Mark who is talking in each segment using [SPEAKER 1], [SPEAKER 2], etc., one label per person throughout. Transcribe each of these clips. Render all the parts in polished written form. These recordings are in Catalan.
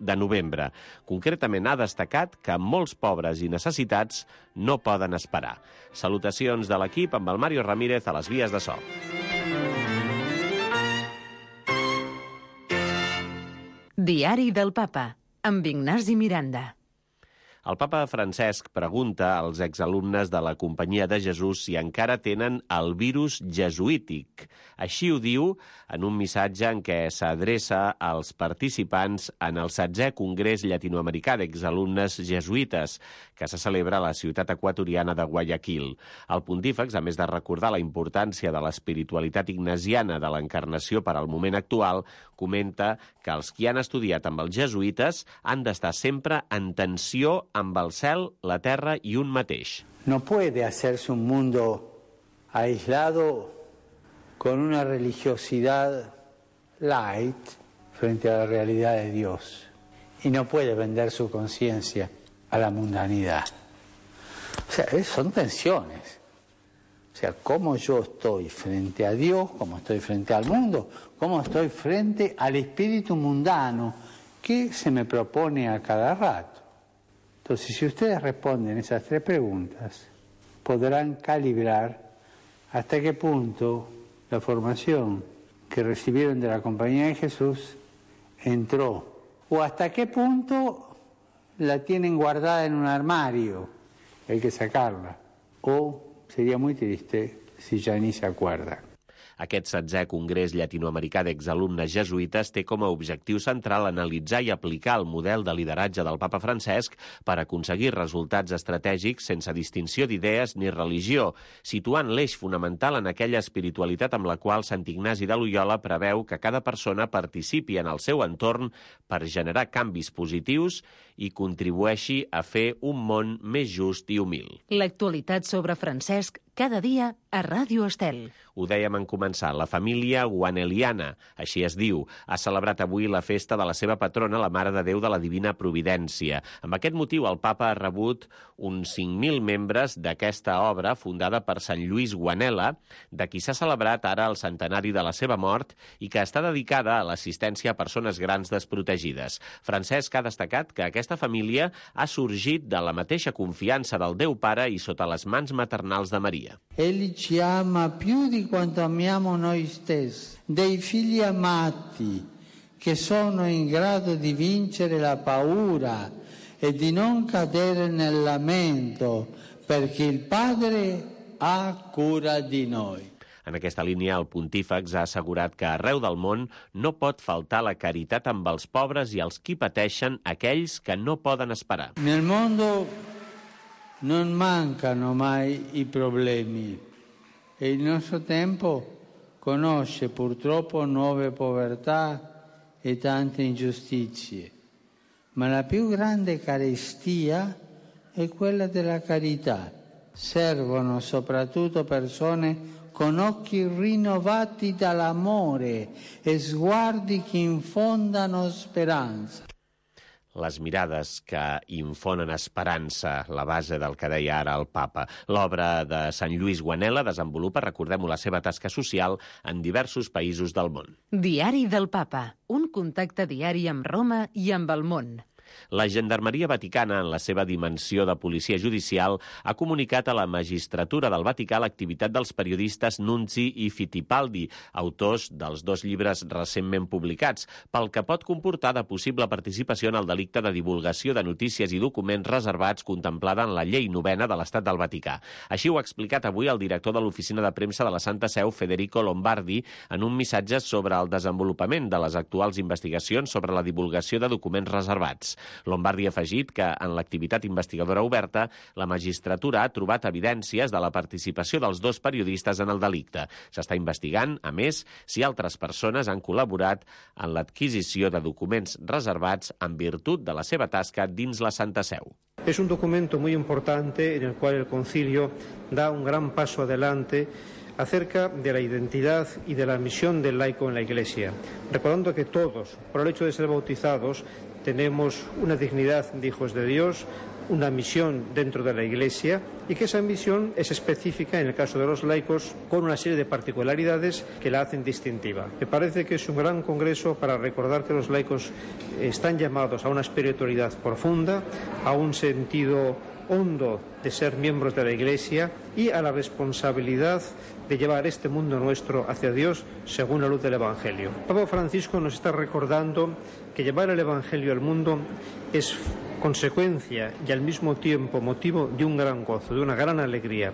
[SPEAKER 1] de novembre. Concretament ha destacat que molts pobres i necessitats no poden esperar. Salutacions de l'equip amb el Mario Ramírez a les vies de so.
[SPEAKER 2] Diari del Papa, amb Ignasi Miranda.
[SPEAKER 1] El papa Francesc pregunta als exalumnes de la Companyia de Jesús si encara tenen el virus jesuític. Així ho diu en un missatge en què s'adreça als participants en el 16è Congrés Llatinoamericà d'Exalumnes Jesuïtes, que se celebra a la ciutat equatoriana de Guayaquil. El pontífex, a més de recordar la importància de l'espiritualitat ignasiana de l'encarnació per al moment actual, comenta que els qui han estudiat amb els jesuïtes han d'estar sempre en tensió amb el cel, la terra i un mateix.
[SPEAKER 3] No puede hacerse un mundo aislado con una religiosidad light frente a la realidad de Dios. Y no puede vender su conciencia a la mundanidad. O sea, son tensiones. O sea, cómo yo estoy frente a Dios, cómo estoy frente al mundo, cómo estoy frente al espíritu mundano que se me propone a cada rato. Entonces, si ustedes responden esas tres preguntas, podrán calibrar hasta qué punto la formación que recibieron de la Compañía de Jesús entró, o hasta qué punto la tienen guardada en un armario, hay que sacarla, o sería muy triste si ya ni se acuerdan.
[SPEAKER 1] Aquest 16è Congrés Llatinoamericà d'Exalumnes Jesuïtes té com a objectiu central analitzar i aplicar el model de lideratge del papa Francesc per aconseguir resultats estratègics sense distinció d'idees ni religió, situant l'eix fonamental en aquella espiritualitat amb la qual Sant Ignasi de Loiola preveu que cada persona participi en el seu entorn per generar canvis positius i contribueixi a fer un món més just i humil.
[SPEAKER 2] L'actualitat sobre Francesc cada dia a Ràdio Estel.
[SPEAKER 1] Ho dèiem en començar, la família guaneliana, així es diu, ha celebrat avui la festa de la seva patrona, la Mare de Déu de la Divina Providència. Amb aquest motiu, el papa ha rebut uns 5.000 membres d'aquesta obra fundada per Sant Lluís Guanela, de qui s'ha celebrat ara el centenari de la seva mort i que està dedicada a l'assistència a persones grans desprotegides. Francesc ha destacat que aquesta família ha sorgit de la mateixa confiança del Déu Pare i sota les mans maternals de Maria.
[SPEAKER 4] Egli ci ama più di quanto amiamo noi stessi, dei figli amati che sono in grado di vincere la paura e di non cadere nel lamento, perché il Padre ha cura di noi.
[SPEAKER 1] En aquesta línia, el pontífex ha assegurat que arreu del món no pot faltar la caritat amb els pobres i els qui pateixen, aquells que no poden esperar.
[SPEAKER 4] Nel mondo non mancano mai i problemi e il nostro tempo conosce purtroppo nuove povertà e tante ingiustizie, ma la più grande carestia è quella della carità. Servono soprattutto persone con occhi rinnovati dall'amore e sguardi che infondano speranza.
[SPEAKER 1] Les mirades que infonen esperança, la base del que deia ara el papa. L'obra de Sant Lluís Guanela desenvolupa, recordem-ho, la seva tasca social en diversos països del món.
[SPEAKER 2] Diari del Papa, un contacte diari amb Roma i amb el món.
[SPEAKER 1] La Gendarmeria Vaticana, en la seva dimensió de policia judicial, ha comunicat a la magistratura del Vaticà l'activitat dels periodistes Nunzi i Fittipaldi, autors dels 2 llibres recentment publicats, pel que pot comportar de possible participació en el delicte de divulgació de notícies i documents reservats contemplada en la Llei 9 de l'Estat del Vaticà. Així ho ha explicat avui el director de l'Oficina de Premsa de la Santa Seu, Federico Lombardi, en un missatge sobre el desenvolupament de les actuals investigacions sobre la divulgació de documents reservats. Lombardi ha afegit que en l'activitat investigadora oberta la magistratura ha trobat evidències de la participació dels 2 periodistes en el delicte. S'està investigant, a més, si altres persones han col·laborat en l'adquisició de documents reservats en virtut de la seva tasca dins la Santa Seu.
[SPEAKER 5] Es un documento muy importante en el cual el Concilio da un gran paso adelante acerca de la identidad y de la misión del laico en la Iglesia, recordando que todos, por el hecho de ser bautizados, tenemos una dignidad de hijos de Dios, una misión dentro de la Iglesia y que esa misión es específica en el caso de los laicos con una serie de particularidades que la hacen distintiva. Me parece que es un gran congreso para recordar que los laicos están llamados a una espiritualidad profunda, a un sentido hondo de ser miembros de la Iglesia y a la responsabilidad de llevar este mundo nuestro hacia Dios según la luz del Evangelio. Papa Francisco nos está recordando que llevar el Evangelio al mundo es conseqüència i al mismo tiempo motivo de un gran gozo, de una gran alegria.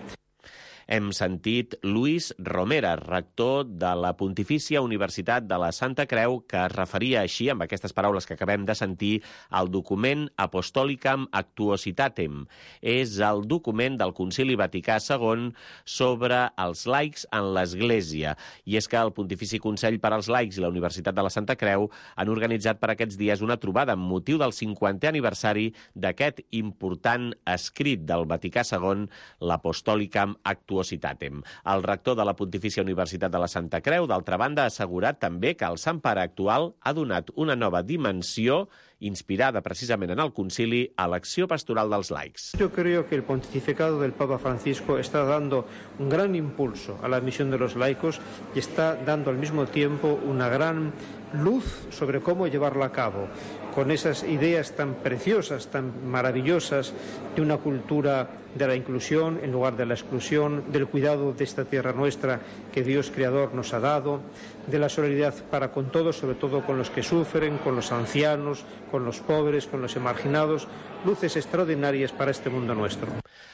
[SPEAKER 1] Hem sentit Luis Romera, rector de la Pontifícia Universitat de la Santa Creu, que es referia així, amb aquestes paraules que acabem de sentir, al document Apostolicam Actuositatem. És el document del Concili Vaticà II sobre els laics en l'Església. I és que el Pontifici Consell per als Laics i la Universitat de la Santa Creu han organitzat per aquests dies una trobada amb motiu del 50è aniversari d'aquest important escrit del Vaticà II, l'Apostolicam Actuositatem. El rector de la Pontifícia Universitat de la Santa Creu, d'altra banda, ha assegurat també que el Sant Pare actual ha donat una nova dimensió inspirada precisament en el concili a l'acció pastoral dels laics.
[SPEAKER 5] Yo creo que el pontificado del Papa Francisco está dando un gran impulso a la misión de los laicos y está dando al mismo tiempo una gran luz sobre cómo llevarla a cabo, con esas ideas tan preciosas, tan maravillosas de una cultura de la inclusión en lugar de la exclusión, del cuidado de esta tierra nuestra que Dios Creador nos ha dado, de la solidaridad para con todos, sobre todo con los que sufren, con los ancianos, con los pobres, con los marginados, luces extraordinàries para este mundo nuestro.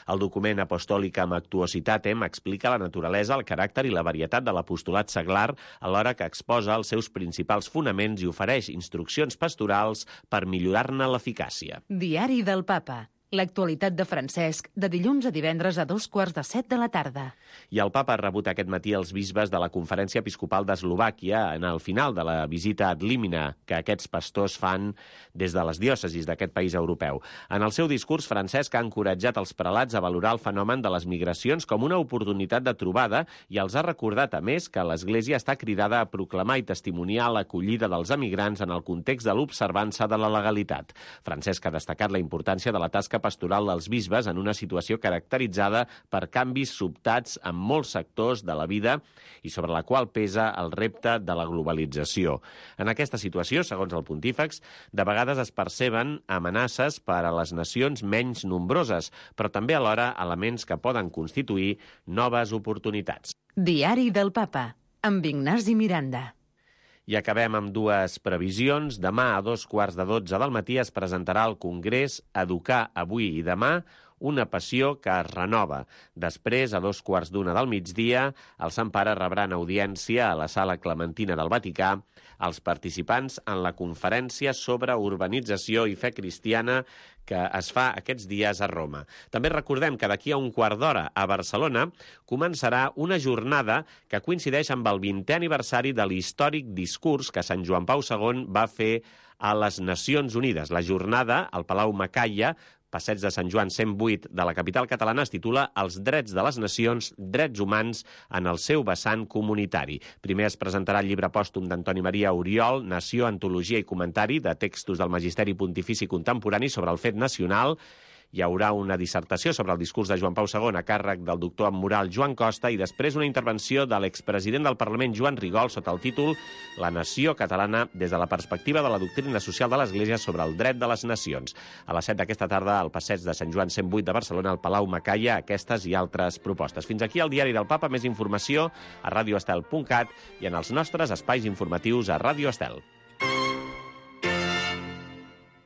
[SPEAKER 1] El document Apostolicam Actuositatem explica la naturalesa, el caràcter i la varietat de l'apostolat seglar, alhora que exposa els seus principals fonaments i ofereix instruccions pastorals per millorar-ne l'eficàcia.
[SPEAKER 2] Diari del Papa. L'actualitat de Francesc, de dilluns a divendres a 2:45 de la tarda.
[SPEAKER 1] I el papa ha rebut aquest matí els bisbes de la Conferència Episcopal d'Eslovàquia en el final de la visita ad limina que aquests pastors fan des de les diòcesis d'aquest país europeu. En el seu discurs, Francesc ha encoratjat els prelats a valorar el fenomen de les migracions com una oportunitat de trobada i els ha recordat, a més, que l'Església està cridada a proclamar i testimoniar l'acollida dels emigrants en el context de l'observança de la legalitat. Francesc ha destacat la importància de la tasca pastoral dels bisbes en una situació caracteritzada per canvis sobtats en molts sectors de la vida i sobre la qual pesa el repte de la globalització. En aquesta situació, segons el pontífex, de vegades es perceben amenaces per a les nacions menys nombroses, però també alhora elements que poden constituir noves oportunitats.
[SPEAKER 2] Diari del Papa, amb Ignasi Miranda.
[SPEAKER 1] I acabem amb dues previsions. Demà a 2:15 del matí es presentarà al Congrés Educar avui i demà, una passió que es renova. Després, a 2:15 del migdia, el Sant Pare rebrà en audiència a la Sala Clementina del Vaticà els participants en la conferència sobre urbanització i fe cristiana que es fa aquests dies a Roma. També recordem que d'aquí a un quart d'hora a Barcelona començarà una jornada que coincideix amb el 20è aniversari de l'històric discurs que Sant Joan Pau II va fer a les Nacions Unides. La jornada al Palau Macaya, Passeig de Sant Joan 108 de la capital catalana, es titula Els drets de les nacions, drets humans en el seu vessant comunitari. Primer es presentarà el llibre pòstum d'Antoni Maria Oriol, Nació, Antologia i Comentari de textos del Magisteri Pontifici Contemporani sobre el fet nacional. Hi haurà una dissertació sobre el discurs de Joan Pau II a càrrec del doctor en moral Joan Costa i després una intervenció de l'expresident del Parlament Joan Rigol sota el títol La nació catalana des de la perspectiva de la doctrina social de l'Església sobre el dret de les nacions. A les 7 d'aquesta tarda al Passeig de Sant Joan 108 de Barcelona, al Palau Macaya, aquestes i altres propostes. Fins aquí el Diari del Papa. Més informació a radioestel.cat i en els nostres espais informatius a Radio Estel.